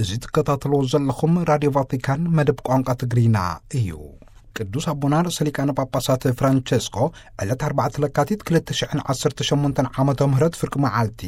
እዚ ትከታተልዎ ዘለኹም ራድዮ ቫቲካን መደብ ቋንቋ ትግርኛ እዩ። ቅዱስ ኣቦና ርእሰ ሊቃነ ጳጳሳት ፍራንቸስኮ ዕለት ኣርባዕተ ለካቲት ክልተ ሽሕን ዓሰርተ ሸሞንተን ዓመተ ምህረት ፍርቂ መዓልቲ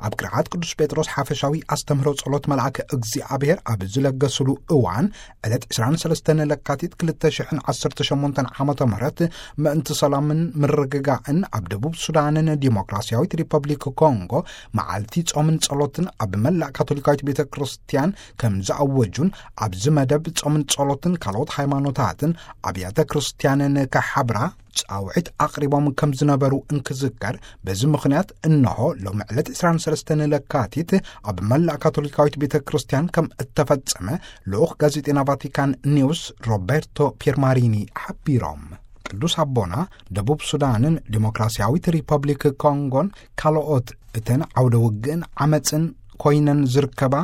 ኣብ ቅርዓት ቅዱስ ጴጥሮስ ሓፈሻዊ ኣስተምህሮ ጸሎት መልኣከ እግዚኣብሔር ኣብ ዝለገስሉ እዋን፣ ዕለት ዕስራን ሰለስተን ለካቲት ክልተ ሽሕን ዓሰርተ ሸሞንተን ዓመተ ምህረት ምእንቲ ሰላምን ምርግጋእን ኣብ ደቡብ ሱዳንን ዲሞክራሲያዊት ሪፐብሊክ ኮንጎ መዓልቲ ጾምን ጸሎትን ኣብ መላእ ካቶሊካዊት ቤተ ክርስቲያን ከም ዝኣወጁን፣ ኣብዚ መደብ ጾምን ጸሎትን ካልኦት ሃይማኖታትን ኣብያተ ክርስቲያንን ክሓብራ ጻውዒት ኣቕሪቦም ከም ዝነበሩ እንክዝከር፣ በዚ ምኽንያት እንሆ ሎሚ ዕለት ዕስራን ሰለስተን ለካቲት ኣብ መላእ ካቶሊካዊት ቤተ ክርስቲያን ከም እተፈጸመ ልኡኽ ጋዜጤና ቫቲካን ኒውስ ሮቤርቶ ፒየርማሪኒ ሓቢሮም። ቅዱስ ኣቦና ደቡብ ሱዳንን ዲሞክራሲያዊት ሪፐብሊክ ኮንጎን ካልኦት እተን ዓውደ ውግእን ዓመፅን ኮይነን ዝርከባ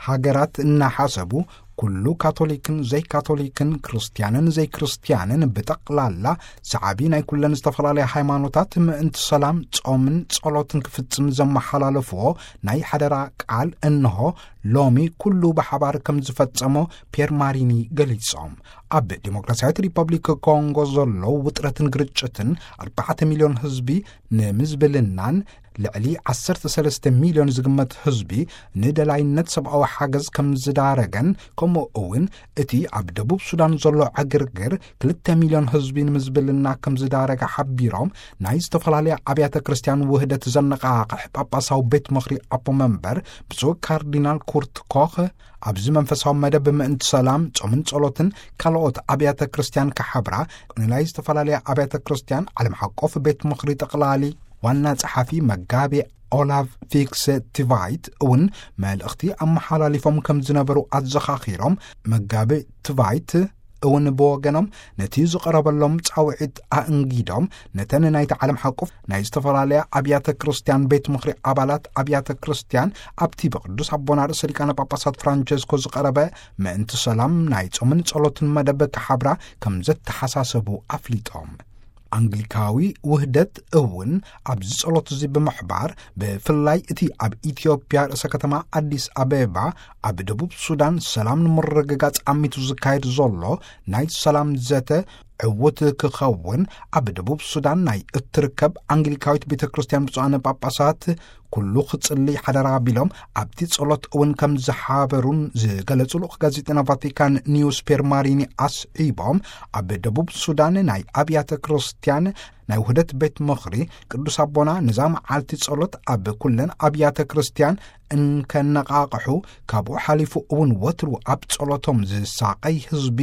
ሃገራት እናሓሰቡ፣ ኩሉ ካቶሊክን ዘይካቶሊክን፣ ክርስትያንን ዘይክርስትያንን ብጠቕላላ ሰዓቢ ናይ ኩለን ዝተፈላለያ ሃይማኖታት ምእንቲ ሰላም ጾምን ጸሎትን ክፍጽም ዘመሓላለፍዎ ናይ ሓደራ ቃል እንሆ ሎሚ ኩሉ ብሓባር ከም ዝፈጸሞ ፒየር ማሪኒ ገሊጾም። ኣብ ዲሞክራሲያዊት ሪፐብሊክ ኮንጎ ዘሎ ውጥረትን ግርጭትን ኣርባዕተ ሚልዮን ህዝቢ ንምዝብልናን ልዕሊ ዓሰርተ ሰለስተ ሚልዮን ዝግመት ህዝቢ ንደላይነት ሰብኣዊ ሓገዝ ከም ዝዳረገን፣ ከምኡ እውን እቲ ኣብ ደቡብ ሱዳን ዘሎ ዕግርግር ክልተ ሚልዮን ህዝቢ ንምዝብልና ከም ዝዳረገ ሓቢሮም፣ ናይ ዝተፈላለያ ኣብያተ ክርስቲያን ውህደት ዘነቓቕሕ ጳጳሳዊ ቤት ምኽሪ ኣቦ መንበር ብፁዕ ካርዲናል ኩርት ኮኽ፣ ኣብዚ መንፈሳዊ መደብ ምእንቲ ሰላም፣ ጾምን ጸሎትን ካልኦት ኣብያተ ክርስቲያን ክሓብራ፣ ንናይ ዝተፈላለያ ኣብያተ ክርስቲያን ዓለም ሓቆፍ ቤት ምኽሪ ጠቕላሊ ዋና ጸሓፊ መጋቤ ኦላቭ ፊክስ ቲቫይት እውን መልእኽቲ ኣመሓላሊፎም ከም ዝነበሩ ኣዘኻኺሮም፣ መጋቤ ቲቫይት እውን ብወገኖም ነቲ ዝቐረበሎም ጻውዒት ኣእንጊዶም፣ ነተን ናይቲ ዓለም ሓቆፍ ናይ ዝተፈላለያ ኣብያተ ክርስቲያን ቤት ምኽሪ ኣባላት ኣብያተ ክርስቲያን ኣብቲ ብቅዱስ ኣቦና ርእሰ ሊቃነ ጳጳሳት ፍራንቸስኮ ዝቐረበ ምእንቲ ሰላም ናይ ጾምን ጸሎትን መደብ ክሓብራ ከም ዘተሓሳሰቡ ኣፍሊጦም። ኣንግሊካዊ ውህደት እውን ኣብዚ ጸሎት እዚ ብምሕባር፣ ብፍላይ እቲ ኣብ ኢትዮጵያ ርእሰ ከተማ ኣዲስ ኣበባ ኣብ ደቡብ ሱዳን ሰላም ንምርግጋጽ ኣሚቱ ዝካየድ ዘሎ ናይ ሰላም ዘተ ዕዉት ክኸውን ኣብ ደቡብ ሱዳን ናይ እትርከብ ኣንግሊካዊት ቤተ ክርስቲያን ብፁዓን ጳጳሳት ኩሉ ክጽሊ ሓደራ ኣቢሎም ኣብቲ ጸሎት እውን ከም ዝሓበሩን ዝገለጹ ልኡኽ ጋዜጠና ቫቲካን ኒውስ ፔር ማሪኒ ኣስዒቦም፣ ኣብ ደቡብ ሱዳን ናይ ኣብያተ ክርስቲያን ናይ ውህደት ቤት ምኽሪ ቅዱስ ኣቦና ነዛ መዓልቲ ጸሎት ኣብ ኩለን ኣብያተ ክርስቲያን እንከነቓቕሑ፣ ካብኡ ሓሊፉ እውን ወትሩ ኣብ ጸሎቶም ዝሳቐይ ህዝቢ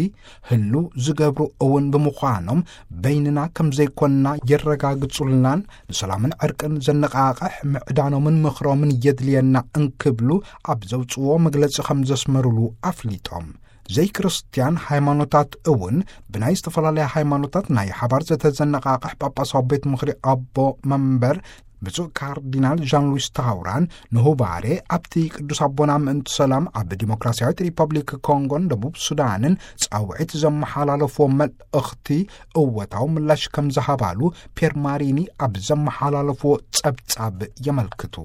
ህሉ ዝገብሩ እውን ብምዃኖም፣ በይንና ከም ዘይኮንና የረጋግጹልናን ንሰላምን ዕርቅን ዘነቓቕሕ ምዕዳኖምን ምኽሮምን የድልየና እንክብሉ ኣብ ዘውጽዎ መግለጺ ከም ዘስመሩሉ ኣፍሊጦም። ዘይክርስትያን ሃይማኖታት እውን ብናይ ዝተፈላለያ ሃይማኖታት ናይ ሓባር ዘተ ዘነቓቕሕ ጳጳሳዊ ቤት ምኽሪ ኣቦ መንበር ብፁዕ ካርዲናል ዣን ሉዊስ ታውራን ንሁባሬ ኣብቲ ቅዱስ ኣቦና ምእንቲ ሰላም ኣብ ዲሞክራሲያዊት ሪፐብሊክ ኮንጎን ደቡብ ሱዳንን ጻውዒት ዘመሓላለፍዎ መልእኽቲ እወታዊ ምላሽ ከም ዝሃባሉ ፔር ማሪኒ ኣብ ዘመሓላለፍዎ ጸብጻብ የመልክቱ።